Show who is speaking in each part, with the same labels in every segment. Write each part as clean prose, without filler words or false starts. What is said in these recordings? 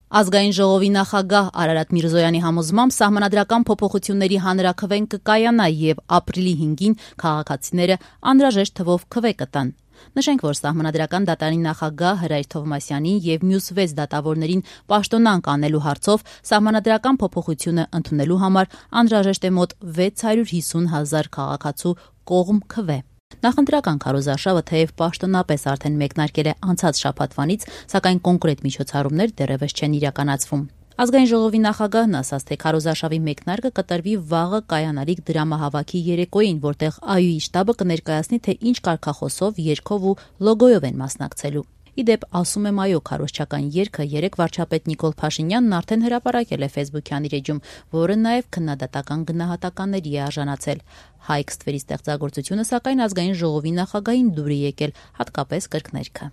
Speaker 1: Ազգային ժողովի նախագահ Արարատ Միրզոյանի համոզմամբ սահմանադրական փոփոխությունների հանրաքվեն կկայանա եւ ապրիլի 5-ին քաղաքացիները անհրաժեշտ թվով քվե կտան։ Նշենք, որ սահմանադրական դատարանի նախագահ Հրայր Թովմասյանին եւ մյուս 6 դատավորներին պաշտոնանկ անելու հարցով սահմանադրական փոփոխությունը ընդունելու համար անհրաժեշտ է մոտ 650,000 քաղաքացու կողմ քվե։ Նախընտրական քարոզարշավը թեև պաշտոնապես արդեն մեկնարկել է անցած շաբաթվանից, սակայն կոնկրետ միջոցառումներ դեռևս չեն իրականացվում։ Ազգային ժողովի նախագահն ասաց, թե քարոզարշավի մեկնարկը կտրվի վաղը կայանալիք դրամահավաքի երեկոյին, որտեղ ԱՅՈ-ի շտաբը կներկայացնի, թե ինչ կարգախոսով, երգով ու լոգոյով են մասնակցելու։ Իդեպ, ասում եմ ԱՅՈ քարոզչական երգը երեկ վարչապետ Նիկոլ Փաշինյանն արդեն հրապարակել է Facebook-յան իր էջում, որը նաև քննադատական գնահատականների է արժանացել։ Հայք ստվերի ստեղծագործությունը, սակայն ազգային ժողովի նախագահին դուր է եկել, հատկապես կրկներգը։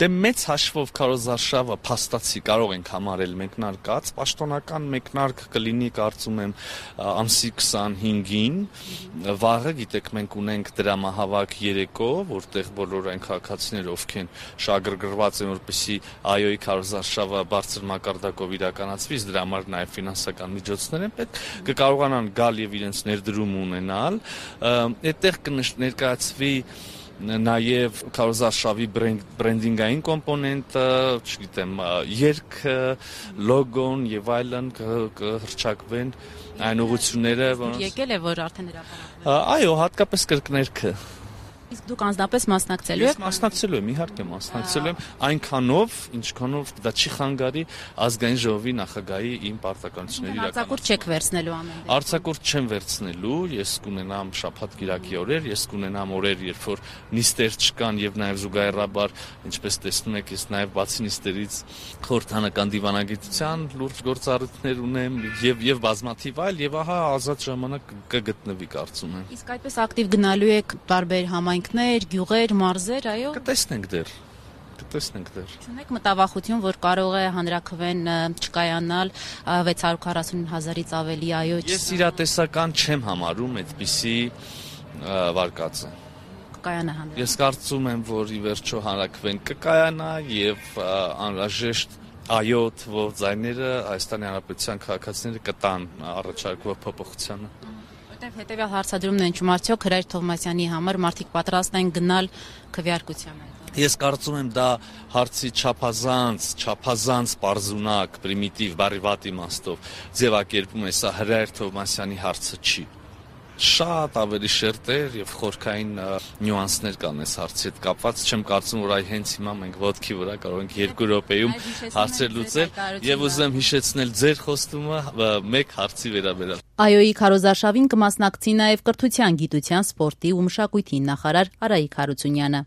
Speaker 2: Դե մեծ հաշվով քարոզարշավը փաստացի կարող ենք համարել մեկնարկած, պաշտոնական մեկնարկ կլինի, կարծում եմ, ամսի 25-ին, վաղը, գիտեք, մենք ունենք դրամահավաք երեկո, որտեղ բոլոր այն քաղաքացիները, ովքեր շահագրգռված են, որպեսզի ԱՅՈ-ի քարոզարշավը բարձր մակարդակով իրականացվի, դրա համար նաև ֆինանսական միջոցներ են պետք, կկարողանան գալ եւ իրենց ներդրում ունենալ, այդտեղ կներկայացվի նաև քարոզարշավի բրենդինգային կոմպոնենտը, չգիտեմ, երգը, լոգոն եւ այլն կհրճակվեն այն ուղղությունները,
Speaker 1: որոնց եկել է, որ արդեն հրապարակվել։
Speaker 2: Այո, հատկապես կրկներգը։
Speaker 1: Իսկ դուք անձնապես մասնակցելու եք։
Speaker 2: Ես մասնակցելու եմ, իհարկե մասնակցելու եմ, այնքանով, ինչքանով դա չի խանգարի ազգային ժողովի նախագահի իմ պարտականությունների իրականացումը։
Speaker 1: Արձակուրդ չեք վերցնելու ամեն դեպքում։
Speaker 2: Արձակուրդ չեմ վերցնելու, ես կունենամ շաբաթ-կիրակի օրեր, ես կունենամ օրեր, երբ որ նիստեր չկան եւ նաեւ զուգահեռաբար, ինչպես տեսնում եք, ես նաեւ բացի նիստերից խորհրդանական դիվանագիտության լուրջ գործառույթներ ունեմ եւ բազմաթիվ այլ եւ ահա ազատ ժամանակ կգտնվի, կարծում եմ։
Speaker 1: Իսկ այդպես ակտիվ գնալու եք տարբեր համայնքներ, գյուղեր, մարզեր, այո։
Speaker 2: Կտեսնենք դեռ։
Speaker 1: Չունեք մտավախություն, որ կարող է հանրաքվեն չկայանալ 640,000-ից ավելի, այո։
Speaker 2: Ես իրատեսական չեմ համարում այդպիսի վարկածը։
Speaker 1: Կկայանա հանրաքվեն։
Speaker 2: Ես կարծում եմ, որ ի վերջո հանրաքվեն կկայանա եւ անհրաժեշտ ԱՅՈ թվով ձայները Հայաստանի Հանրապետության քաղաքացիները կտան առաջարկվող փոփոխությանը։
Speaker 1: Հետևյալ հարցադրումն են ճում արդյոք Հրայր Թովմասյանի համար մարդիկ պատրաստ են գնալ քվեարկության։
Speaker 2: Ես կարծում եմ դա հարցի չափազանց պարզունակ, պրիմիտիվ, բառի վատ իմաստով ձևակերպում է, սա Հրայր Թովմասյանի հարցը չի։ Շատ ավելի շերտեր եւ խորքային նյուանսներ կան այս հարցի հետ կապված, չեմ կարծում, որ այ հենց հիմա մենք ոտքի վրա կարող ենք 2 րոպեում հարցեր լուծել եւ ուզում հիշեցնել ձեր խոստումը մեկ հարցի վերաբերյալ։
Speaker 1: ԱՅՈ-ի քարոզարշավին կմասնակցի նաեւ կրթության, գիտության, սպորտի ու մշակույթի նախարար Արայիկ Հարությունյանը։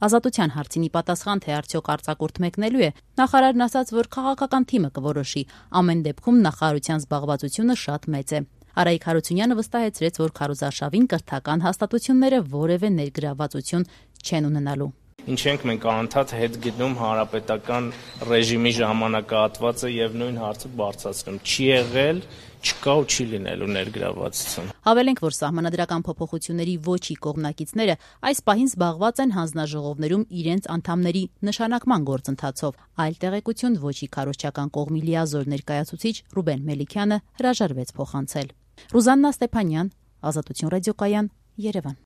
Speaker 1: Ազատության հարցինի պատասխան, թե արդյոք արձակուրդ մեկնելու է, նախարարն ասաց, որ քաղաքական թիմը կորոշի, ամեն դեպքում նախարարության զբաղվածությունը շատ մեծ է։ Արայիկ Հարությունյանը վստահեցրեց, որ քարոզարշավին կրթական հաստատությունները որևէ ներգրավվածություն չեն ունենալու։
Speaker 3: Ինչ ենք մենք անընդհատ հետ գտնում հանրապետական ռեժիմի ժամանակահատվածը եւ նույն հարցը բարձրացնում։ Չի եղել, չկա ու չի լինելու ներգրավվածություն։
Speaker 1: Հավելենք, որ սահմանադրական փոփոխությունների ոչի կողմնակիցները այս պահին զբաղված են հանձնաժողովներում իրենց անդամների նշանակման գործընթացով։ Այլ տեղեկություն ոչի քարոզչական կողմի լիազոր ներկայացուցիչ Ռուբեն Մելիքյանը հրաժարվեց փոխանցել։ Ռուզաննա Ստեփանյան, Ազատություն ռադիոկայան, Երևան։